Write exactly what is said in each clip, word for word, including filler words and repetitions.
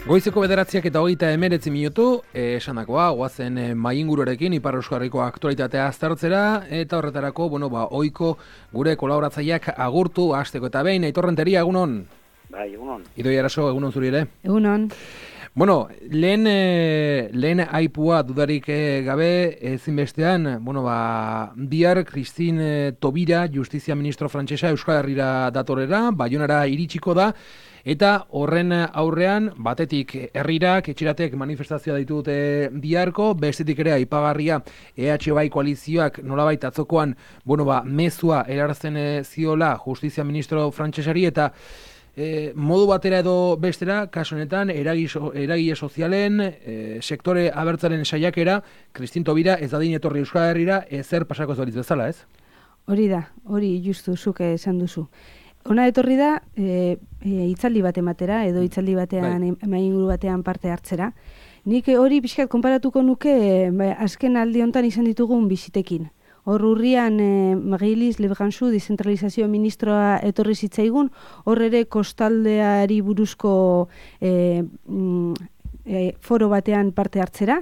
Goizeko bederatziak eta hogeita emeretzi minutu, esanakoa, goazen e, mainguruarekin Ipar Euskal Herriko aktualitatea aztertzera, eta horretarako, bueno, ba, oiko gure kolaboratzaileak agurtu, hasteko eta behin, Aitor Renteria, egunon? Bai, egunon. Idoia Araso, egunon zuri ere? Egunon. Bueno, lehen, e, lehen aipua dudarik e, gabe, ezinbestean, bueno, ba, bihar Christine Taubira, Justizia Ministro Frantsesa Euskal Herrira datorera, Baionara iritsiko da, eta horren aurrean, batetik herrirak, etxeratek manifestazioa ditute biharko, bestetik ere aipagarria E H Bai koalizioak nolabait atzokoan, bueno, ba, mezua erarazten ziola Justizia Ministro Frantsesari, eta E, modu batera edo bestera, kasu honetan, eragile, eragile sozialen, e, sektore abertzaren saiakera, Christine Taubira ez dadin etorri Euskal Herrira, ezer pasako ez balitz bezala, ez? Hori da, hori justu zuk esan duzu. Ona etorri da, e, e, hitzaldi bat ematera, edo hitzaldi batean, bai. Mainguru batean parte hartzera. Nik hori pixkat konparatuko nuke, e, azken aldi hontan izan ditugun bisitekin. Hor urrian eh, Marie-Lise Lebranchu dezentralizazio ministroa etorri zitzaigun, hor ere kostaldeari buruzko eh, mm, eh, foro batean parte hartzera.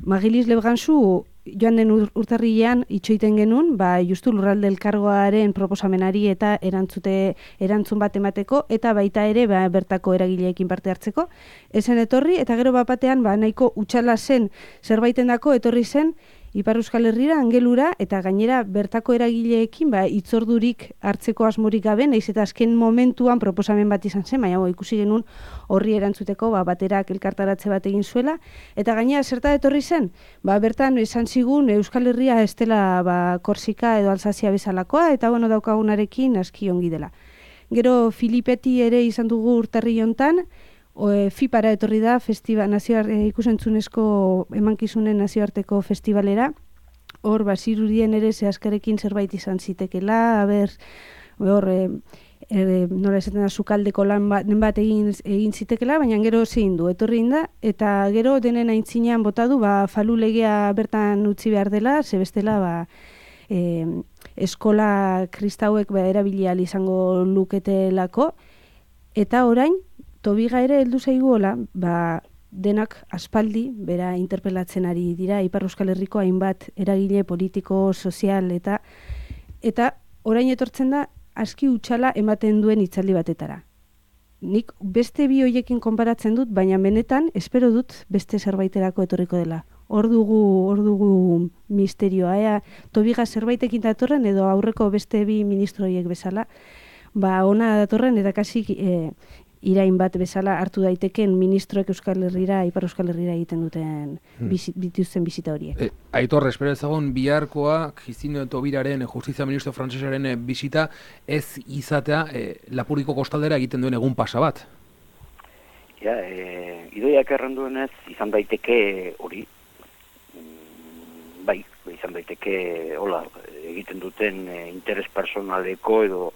Marie-Lise Lebranchu joan den ur, urtarrilean itxoiten genuen, ba, justu lurralde elkargoaren proposamenari eta erantzute, erantzun bat emateko, eta baita ere ba, bertako eragileekin parte hartzeko. Ezen etorri, eta gero bapatean ba, nahiko utxala zen zerbaitendako etorri zen, Ipar Euskal Herrira, Angelura, eta gainera bertako eragileekin ba, itzordurik hartzeko asmorik gabe, nahiz eta azken momentuan proposamen bat izan zen, baina ikusi genuen horri erantzuteko ba, baterak elkartaratze bat egin zuela, eta gainera zerta etorri zen, ba, bertan esan zigun Euskal Herria ez dela ba, Korsika edo Alsazia bezalakoa, eta bueno, daukagunarekin aski ongi dela. Gero Filipeti ere izan dugu urtarri hontan, O, e, FIPara etorri da, festival, nazioar, e, ikusentzunezko emankizunen nazioarteko festivalera. Hor, bazirudien ere zehazkarekin zerbait izan zitekela, haber, hor, e, e, nola esaten da, sukaldeko lan bat, bat egin, egin zitekela, baina gero zein du, etorri da, eta gero denen aintzinean bota du, ba, falu legea bertan utzi behar dela, zebestela, ba, e, eskola kristauek ba, erabilial izango luketelako, eta orain, Taubira ere heldu zaiguola, ba, denak aspaldi, bera interpelatzen ari dira, Ipar Euskal Herriko hainbat eragile politiko, sozial, eta eta orain etortzen da, aski utxala ematen duen hitzaldi batetara. Nik beste bi hoiekin konparatzen dut, baina benetan, espero dut beste zerbaiterako etorriko dela. Hor dugu, hor dugu misterioa, ea, Taubira zerbaitekin datorren, edo aurreko beste bi ministroiek bezala, ba, ona datorren, eta kasi e, irain bat bezala hartu daiteken ministroek Euskal Herrira, Ipar Euskal Herrira egiten duten hmm. bizi, dituzten bizita horiek. E, Aitor, espero ezagun biharkoa Christine Taubiraren, Justizia Ministro Frantsesaren bizita ez izatea e, Lapurdiko kostaldera egiten duen egun pasa bat. Ja, e, idoiak erranduenez izan daiteke hori, bai, izan daiteke hola, egiten duten e, interes personaleko edo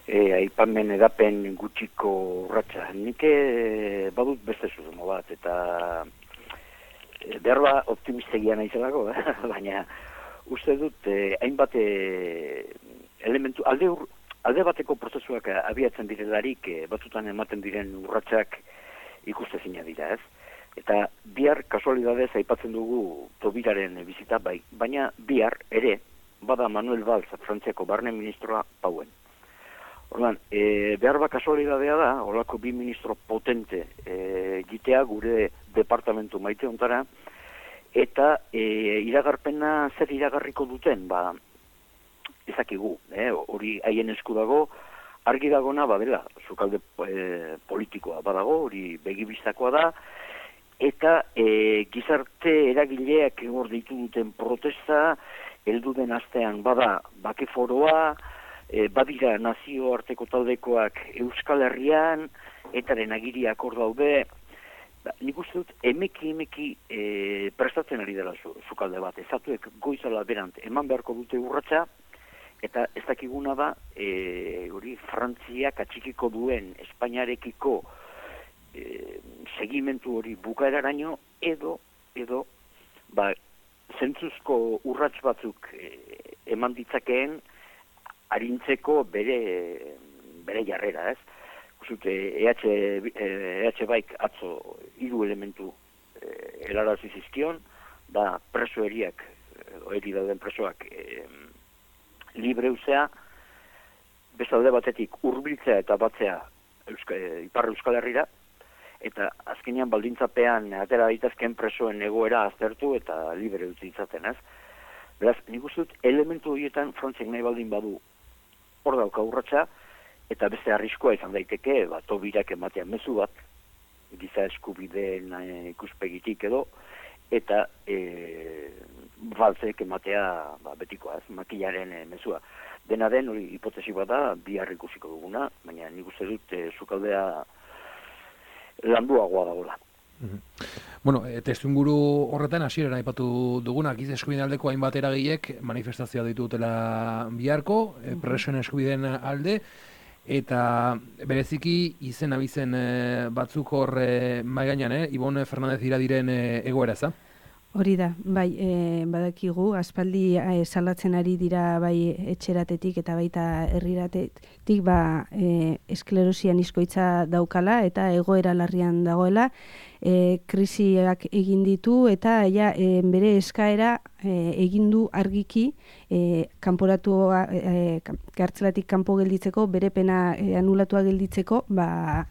E, aipamen edapen gutxiko urratsa. Nik e, badut beste zuzumo bat, eta e, behar ba optimistegia naizelako, eh? Baina uste dut e, hainbat e, elementu, alde, ur, alde bateko prozesuak abiatzen direlarik e, batzutan ematen diren urratsak ikustezina dira, ez? Eta bihar kasualidadez aipatzen dugu Taubiraren bizita, bai, baina bihar ere bada Manuel Valls, Frantziako barne ministroa pauen. Orduan, e, behar ba kasualidadea da, holako bi ministro potente e, gitea gure departamentu maite ontara, eta e, iragarpena zer iragarriko duten, ba, ezakigu, eh? Hori haien esku dago, argi dagona, ba, bela, sukalde e, politikoa badago, hori begibistakoa da, eta e, gizarte eragileak hor deitu duten protesta, heldu den astean bada bakeforoa, E, badira nazioarteko taldekoak Euskal Herrian, etaren agiriak hor daude, ba, nik uste dut emeki emeki e, prestatzen ari dela zu, zukalde bat, ezatuek goizala berant eman beharko dute urratsa, eta ez dakiguna da, e, hori Frantziak atxikiko duen Espainiarekiko e, segimentu hori bukaeraraino, edo, edo, ba, zentzuzko urrats batzuk e, eman ditzakeen, arintzeko bere, bere jarrera, ez? Kusut, E H baik atzo hiru elementu e, helarazi zizkion, da preso eriak, eri dauden presoak e, libre uzea, bestalde batetik hurbiltzea eta batzea Euska, e, Ipar Euskal Herrira, eta azkenean baldintzapean atera daitezkeen presoen egoera aztertu eta libre utzi ditzaten, ez? Beraz, nik uste dut elementu horietan Frantziak nahi baldin badu hor dauka urratsa, eta beste arriskoa izan daiteke, ba, Tobirak ematean mezu bat, giza eskubideen e, ikuspegitik edo, eta e, baltzek ematea ba, betikoa, ez, makilaren e, mezua. Dena den, hori hipotesi bat da, bihar ikusiko duguna, baina nik uste dut e, sukaldea landuagoa dagoela. Mm-hmm. Bueno, e, testuinguru horretan hasieran aipatu duguna, giza eskubideen aldeko hainbat eragilek manifestazioa ditutela biharko, e, presoen eskubideen alde, eta bereziki izen abizen e, batzuk hor e, mai gainean, eh? Ibon Fernandez Iradiren e, egoera, za? Hori da, bai, e, badakigu, aspaldi e, salatzen ari dira bai etxeratetik eta baita herriratetik ba, e, esklerosia niskoitza daukala eta egoera larrian dagoela, e, krisiak egin ditu eta ja, e, bere eskaera e, egin du argiki e, kanporatua, e, kartzelatik kanpo gelditzeko, bere pena e, anulatua gelditzeko, ba,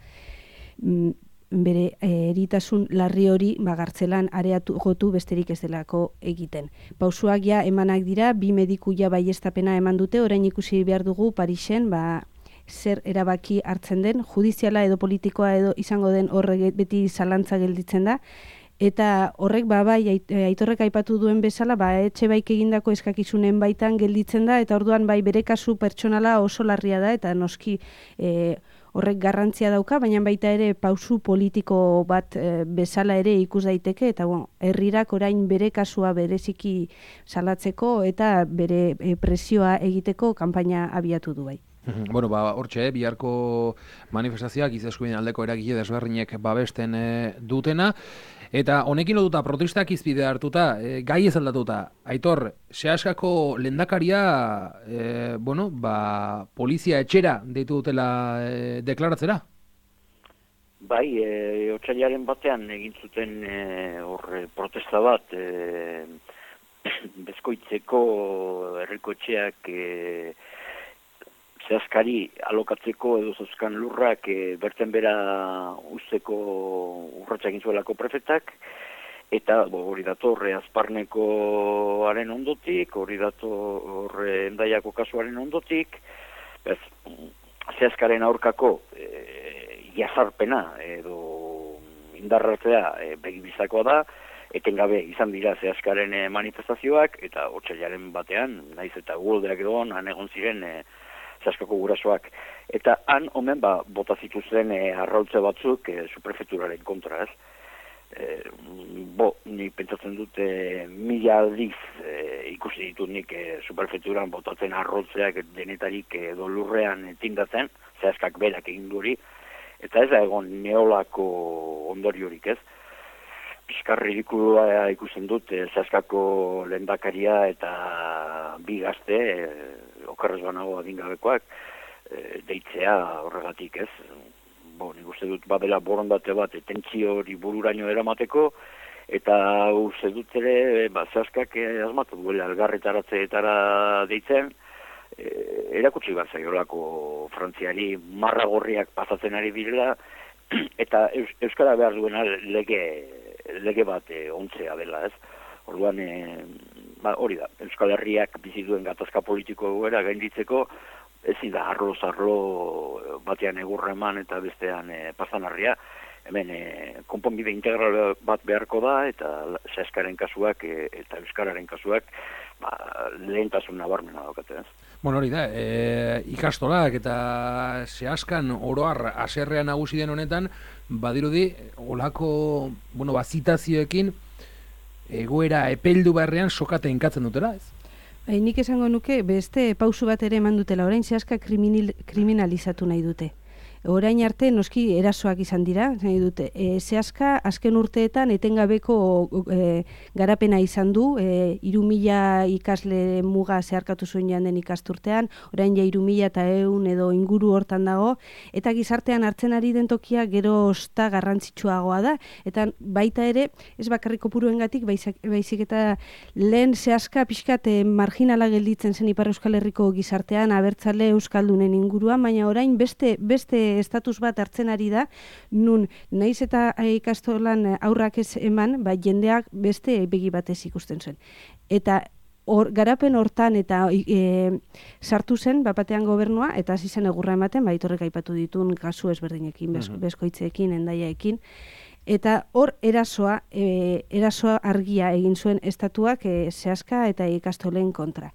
m, bere eritasun larri hori bagartzelan areatu gotu besterik ez delako egiten. Pausuak ja emanak dira, bi mediku ja baiestapena eman dute, orain ikusi behar dugu Parisen, ba, zer erabaki hartzen den, judiziala edo politikoa edo izango den horrek beti zalantza gelditzen da, eta horrek ba, bai, Aitorrek aipatu duen bezala, ba, etxe baik egindako eskakizunen baitan gelditzen da, eta orduan bai bere kasu pertsonala oso larria da, eta noski e, horrek garrantzia dauka, baina baita ere pausu politiko bat e, bezala ere ikus daiteke, eta bueno, herrirak orain bere kasua bereziki salatzeko eta bere e, presioa egiteko kanpaina abiatu du bai. Bueno, ba, hortxe, biharko manifestazioak giza eskubideen aldeko eragile desberdinek babesten e, dutena, eta honekin lotuta protestak izpide hartuta, e, gai ez aldatuta. Aitor, Seaskako lehendakaria, e, bueno, ba, polizia etxera deitu dutela e, deklaratzera? Bai, e, otsailaren batean egin zuten e, hor protesta bat, e, bezkoitzeko herriko etxeak e, Seaskari alokatzeko edo zeuzkan lurrak e, berten bera usteko urratsak egin zuelako prefetak, eta bo, hori dator Azparnekoaren ondotik, hori dator Hendaiako kasuaren ondotik, ez, Seaskaren aurkako e, jazarpena edo indarratzea e, begibizakoa da, etengabe izan dira Seaskaren e, manifestazioak, eta otsailaren batean, naiz eta uholdeak edo han egon ziren e, Seaskako gurasoak. Eta han, omen, ba, bota zituzten e, arraultze batzuk e, suprefeturaren kontra, ez? E, bo, ni pentsatzen dute mila aldiz e, ikusi ditut nik e, suprefeturan botatzen arraultzeak denetarik edo lurrean e, tindatzen, Seaskak berak egin duri, eta ez da egon neolako ondoriorik, ez? Piskar ridikulua ikusten dut e, Seaskako lehendakaria eta bi gazte, e, okarrez banago adingabekoak, e, deitzea horregatik, ez? Bo, nik uste dut badela borondate bat, tentsio hori bururaino eramateko, eta uste dut ere, ba, Seaskak e, asmatu duela elgarretaratzeetara deitzen, e, erakutsi bat zaiolako Frantziari marra gorriak pasatzen ari direla, eta Eus, Euskara behar duena lege, lege bat e, ontzea dela, ez? Orduan, e, ba, hori da, Euskal Herriak bizi duen gatazka politiko egoera gainditzeko, ezin da arlo-zarlo batean egurra eman eta bestean e, pasanarria. Hemen e, konponbide integral bat beharko da, eta Seaskaren kasuak e, eta Euskararen kasuak ba, lehentasun nabarmena daukate, ez? Bueno, hori da, e, ikastolak eta Seaskan oroar haserrea nagusi den honetan, badirudi, olako, bueno, bazitazioekin, egoera epeldu beharrean sokate inkatzen dutela, ez? Bai, nik esango nuke beste pausu bat ere eman dutela, orain Seaska kriminal, kriminalizatu nahi dute. orain arte noski erasoak izan dira, nahi dute, e, zehaska azken urteetan etengabeko e, garapena izan du, e, hiru mila ikasle muga zeharkatu zuen janden ikasturtean, orain ja hiru mila eta ehun edo inguru hortan dago, eta gizartean hartzen ari den tokia gero osta garrantzitsuagoa da, eta baita ere, ez bakarrik kopuruengatik, baizik, baizik eta lehen zehaska pixkat e, marginala gelditzen zen Ipar Euskal Herriko gizartean, abertzale euskaldunen inguruan, baina orain beste beste estatus bat hartzen ari da, nun naiz eta ikastolan aurrak ez eman, ba, jendeak beste begi batez ikusten zuen. Eta Or, garapen hortan eta e, sartu zen bapatean gobernua eta hasi zen egurra ematen, baitorrek aipatu ditun kasu ezberdinekin, bez, bezkoitzeekin, endaiaekin. Eta hor erasoa, e, erasoa argia egin zuen estatuak e, zehaska eta ikastolen kontra.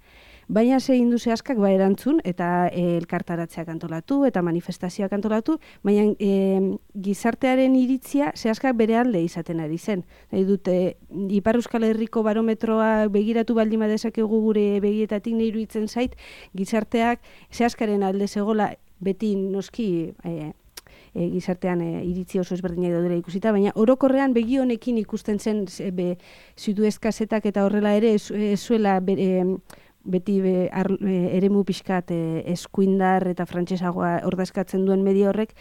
Baina ze egin du zehaskak ba erantzun eta e, elkartaratzeak antolatu eta manifestazioak antolatu, baina e, gizartearen iritzia zehaskak bere alde izaten ari zen. Nahi dute, Ipar Euskal Herriko barometroa begiratu baldin badezakegu gure begietatik nahi iruditzen zait, gizarteak zehaskaren alde zegola beti noski e, e, gizartean e, iritzi oso ezberdinak daudela ikusita, baina orokorrean begi honekin ikusten zen be, Zuduez kasetak eta horrela ere ez, ez zuela bere, beti be, ar, e, eremu pixkat e, eskuindar eta frantsesagoa ordezkatzen duen medio horrek,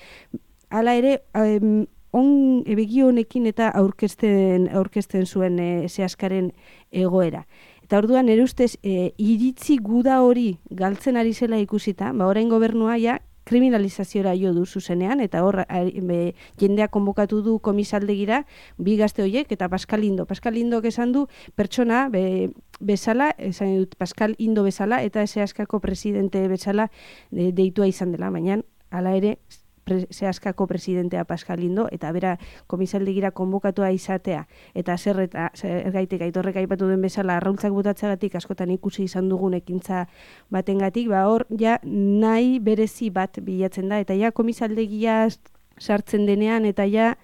hala ere um, on e, begi honekin eta aurkezten, aurkezten zuen e, zehaskaren egoera. Eta orduan nire ustez e, iritzi guda hori galtzen ari zela ikusita, ba orain gobernua ja kriminalizaziora jo du zuzenean, eta hor be, jendea konbokatu du komisaldegira bi gazte horiek, eta Pascal Indo. Pascal Indok esan du pertsona be, bezala, esan dut Pascal Indo bezala, eta zehaskako presidente bezala de, deitua izan dela, baina hala ere pre, zehaskako presidentea Pascal Indo, eta bera komisaldegira konbokatua izatea, eta zer eta ergaitek aitorrek aipatu den bezala arraultzak botatzeagatik askotan ikusi izan dugun ekintza batengatik, ba hor ja nahi berezi bat bilatzen da, eta ja komisaldegia sartzen denean, eta ja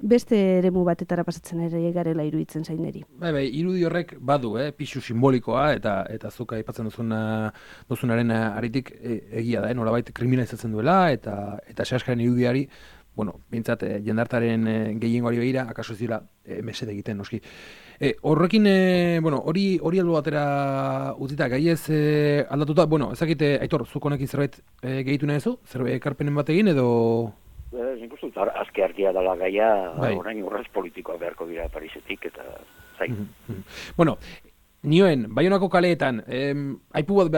beste eremu batetara pasatzen ere garela iruditzen zaineri. Bai, bai, irudi horrek badu, eh, pixu simbolikoa, eta eta zuka aipatzen duzuna duzunaren aritik e, egia da, eh, nolabait kriminalizatzen duela, eta eta zehaskaren irudiari, bueno, bintzat, eh, jendartaren eh, gehiengoari begira, akaso ez dira eh, mesede egiten, noski. E, horrekin, e, bueno, hori hori albo batera utzita, gai ez e, aldatuta, bueno, ezakite, Aitor, zuk honekin zerbait e, gehitu nahi zu? Zerbait ekarpenen bat egin, edo... Nik uste dut, azke argia dela gaia, bai. Orain urraz politikoa beharko dira Parisetik, eta zain. Mm-hmm. Bueno, nioen, Baionako kaleetan, em, aipu bat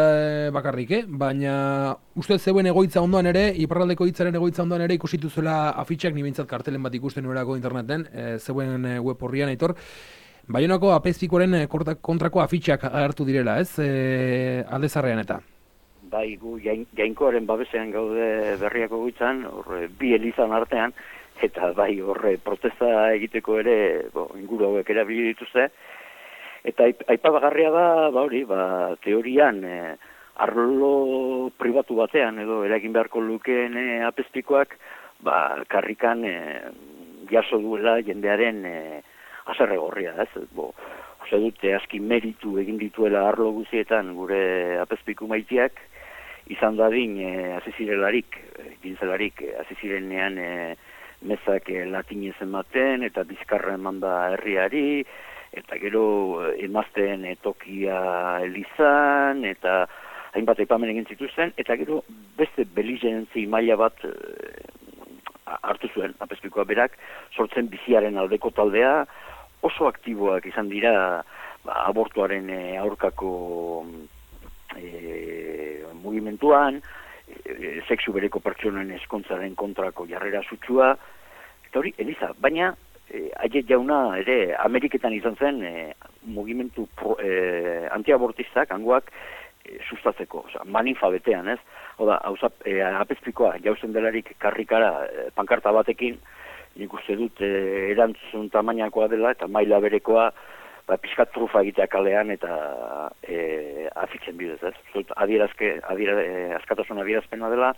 bakarrik, eh? Baina uste zeuen egoitza ondoan ere, iparraldeko hitzaren egoitza ondoan ere ikusitu zuela afitxak, ni bintzat kartelen bat ikusten nuerako interneten, e, zeuen web horrian, Aitor, Baionako apezpikoren kontrako afitxak agertu direla, ez? E, aldezarrean eta. Bai, gu jain, jainkoaren babesean gaude berriako guitzan, horre bi elizan artean, eta bai horre protesta egiteko ere, bo, inguru hauek erabili dituzte, eta aipagarria da, ba hori, ba, teorian, e, arlo pribatu batean, edo eragin beharko lukeen e, apezpikoak, ba, karrikan e, jaso duela jendearen e, azerre gorria, ez, bo, ose dute aski meritu egin dituela arlo guzietan gure apezpiku maitiak, izan dadin e, azizirelarik, e, gintzelarik, e, azizirenean e, mezak e, latinez ematen, eta bizkarra eman da herriari, eta gero emazten e, tokia elizan, eta hainbat aipamen egin zituzten, eta gero beste belizentzi maila bat e, hartu zuen, apezpikoa berak, sortzen biziaren aldeko taldea, oso aktiboak izan dira ba, abortuaren e, aurkako E, mugimenduan, e, sexu bereko pertsonen eskontzaren kontrako jarrera sutsua, eta hori, Eliza, baina e, Aiet jauna ere Ameriketan izan zen e, mugimendu pro, e, antiabortistak hangoak e, sustatzeko, oza, manifa betean, ez? Oda, e, apezpikoa jauzen delarik karrikara e, pankarta batekin, nik uste dut e, erantzun tamainakoa dela eta maila berekoa ba, pixkat trufa egitea kalean eta e, afitzen bidez, ez? Zut, adierazke, adiera, e, askatasun adierazpena dela,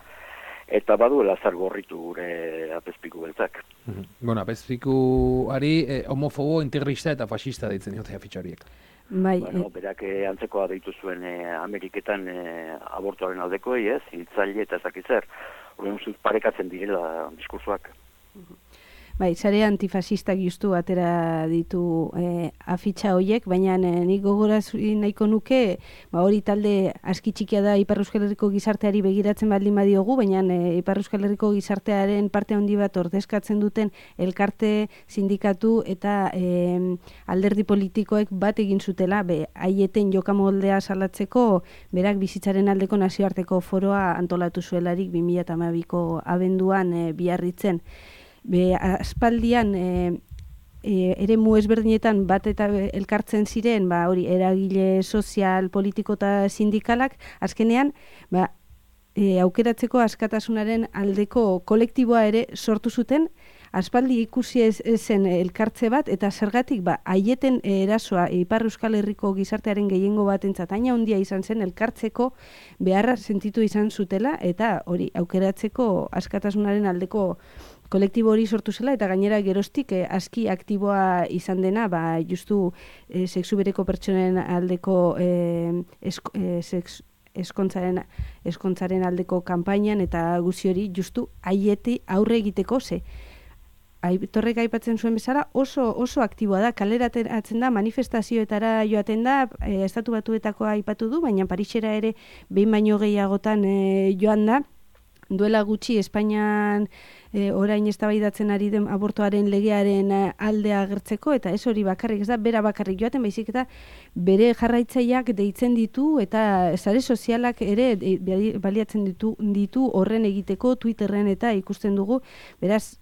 eta baduela zer gorritu gure apezpiku beltzak. Mm-hmm. Bueno, apezpikuari eh, homofobo, integrista eta fascista deitzen diote afitxariek. Bai, bueno, berak e, antzekoa deitu zuen e, Ameriketan e, abortuaren aldeko, ez? Hiltzaile eta ezakitzer. Horren ustut parekatzen direla diskursoak. Bai, sare antifasistak justu atera ditu e, afitxa hoiek, baina e, nik gogoraz nahiko nuke, ba, hori talde aski txikia da Ipar Euskal Herriko gizarteari begiratzen baldin badiogu, baina e, Ipar Euskal Herriko gizartearen parte handi bat ordezkatzen duten elkarte, sindikatu eta e, alderdi politikoek bat egin zutela, be, haieten jokamoldea salatzeko, berak bizitzaren aldeko nazioarteko foroa antolatu zuelarik bi mila hamabiko abenduan e, Biarritzen. Be, aspaldian e, e, ere mu ezberdinetan bat eta elkartzen ziren, ba, hori, eragile sozial, politiko eta sindikalak, azkenean, ba, e, aukeratzeko askatasunaren aldeko kolektiboa ere sortu zuten, aspaldi ikusi ez, zen elkartze bat, eta zergatik, ba, haieten erasoa Ipar Euskal Herriko gizartearen gehiengo batentzat haina handia izan zen elkartzeko beharra sentitu izan zutela, eta hori, aukeratzeko askatasunaren aldeko kolektibo hori sortu zela, eta gainera geroztik eh, aski aktiboa izan dena, ba, justu eh, sexu bereko pertsonen aldeko eh, esk, eh, sex, eskontzaren, eskontzaren aldeko kanpainan, eta guzi hori justu haieti aurre egiteko ze. Aitorrek aipatzen zuen bezala oso oso aktiboa da, kaleratzen da, manifestazioetara joaten da, e, Estatu Batuetako aipatu du, baina Parisera ere behin baino gehiagotan e, joan da. Duela gutxi Espainian e, orain eztabaidatzen ari den abortoaren legearen aldea agertzeko, eta ez hori bakarrik, ez da, bera bakarrik joaten, baizik eta bere jarraitzaileak deitzen ditu, eta sare sozialak ere e, baliatzen ditu, ditu horren egiteko, Twitterren eta ikusten dugu, beraz,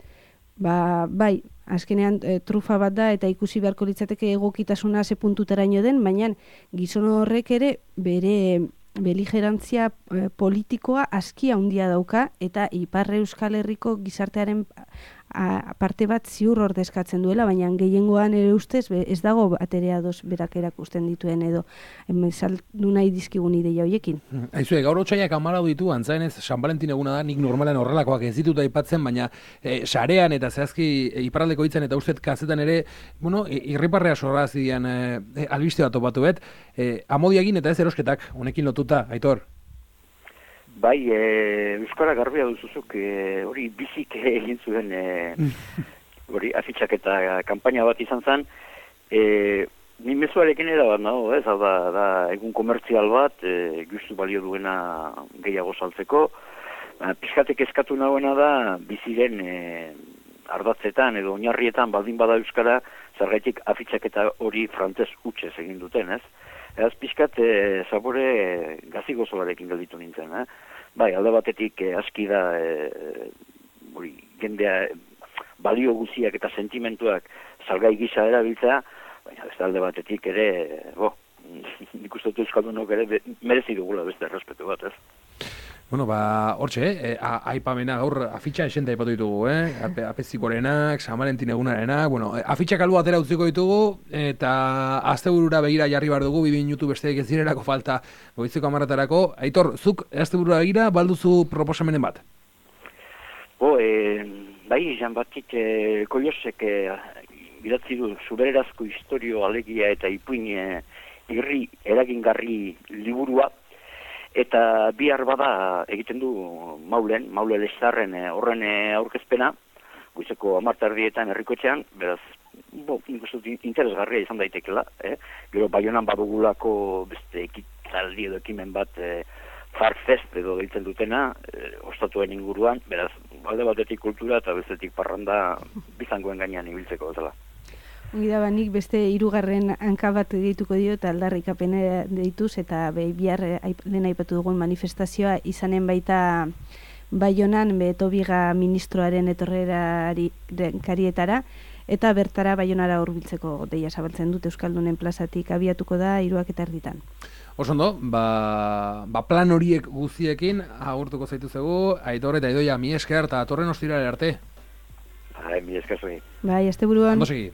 ba, bai, azkenean e, trufa bat da, eta ikusi beharko litzateke egokitasuna ze puntuteraino den, baina gizon horrek ere bere beligerantzia e, politikoa aski handia dauka, eta Ipar Euskal Herriko gizartearen a, parte bat ziur ordezkatzen duela, baina gehiengoan ere ustez be, ez dago baterea doz berak erakusten dituen edo saldu nahi dizkigun ideia hoiekin. Aizue, gaur otxaiak amalau ditu, antzaenez San Valentin eguna da, nik normalen horrelakoak ez ditut aipatzen, baina e, sarean eta zehazki e, iparraldeko hitzen eta ustet kazetan ere, bueno, irriparrea sorra zidean e, albiste bat topatu bet, e, amodiagin eta ez erosketak, honekin lotuta, Aitor. Bai, e, Euskara garbia duzuzuk, e, hori bizik egin zuen, e, hori afitxak eta kanpaina bat izan zen, e, ni mezuarekin ere bat nago, ez, hau da, da egun komertzial bat, e, justu balio duena gehiago saltzeko, ba, pixkatek eskatu nagoena da, biziren e, ardatzetan edo oinarrietan baldin bada Euskara, zergaitik afitxak eta hori frantzez hutsez egin duten, ez? Eraz pixkat e, zabore e, gazi gozolarekin gelditu nintzen, eh? Bai, alde batetik e, aski da e, hori, jendea balio guziak eta sentimentuak salgai gisa erabiltzea, baina beste alde batetik ere, bo, nik uste dut euskaldunok ere merezi dugula beste errespetu bat, ez? Bueno, ba, hortxe, eh? aipamena gaur afitxa esente aipatu ditugu, eh? Apezikorenak, San Valentin egunarenak, bueno, afitxak albo atera utziko ditugu, eta asteburura begira jarri bar dugu, bi minutu besteek ez direlako falta goizeko hamaratarako. Aitor, zuk asteburura begira balduzu proposamenen bat? Bo, e, bai, Jean Batik e, Koiosek e, idatzi du zubererazko historio alegia eta ipuin e, irri eragingarri liburua, eta bihar bada egiten du Maulen, Maule Lezarren horren aurkezpena, goizeko hamarterdietan herrikotxean, beraz, bo, interesgarria izan daitekela, eh? Gero Baionan badugulako beste ekitaldi edo ekimen bat eh, Farfest edo deitzen dutena, eh, ostatuen inguruan, beraz, alde batetik kultura eta bestetik parranda bizangoen gainean ibiltzeko bezala. Ongi da, nik beste hirugarren hanka bat deituko dio eta aldarrikapena deituz, eta be, bihar lehen aipatu dugun manifestazioa izanen baita Baionan, be, Tobiga ministroaren etorrerari karietara, eta bertara Baionara hurbiltzeko deia zabaltzen dut Euskaldunen plazatik abiatuko da hiruak eta erditan. Osondo, ba, ba plan horiek guztiekin agurtuko zaitu zegu, Aitor eta Idoia mi esker eta torren ostirale arte. Bai, mi esker zuen. Bai, asteburuan. Ondo segi.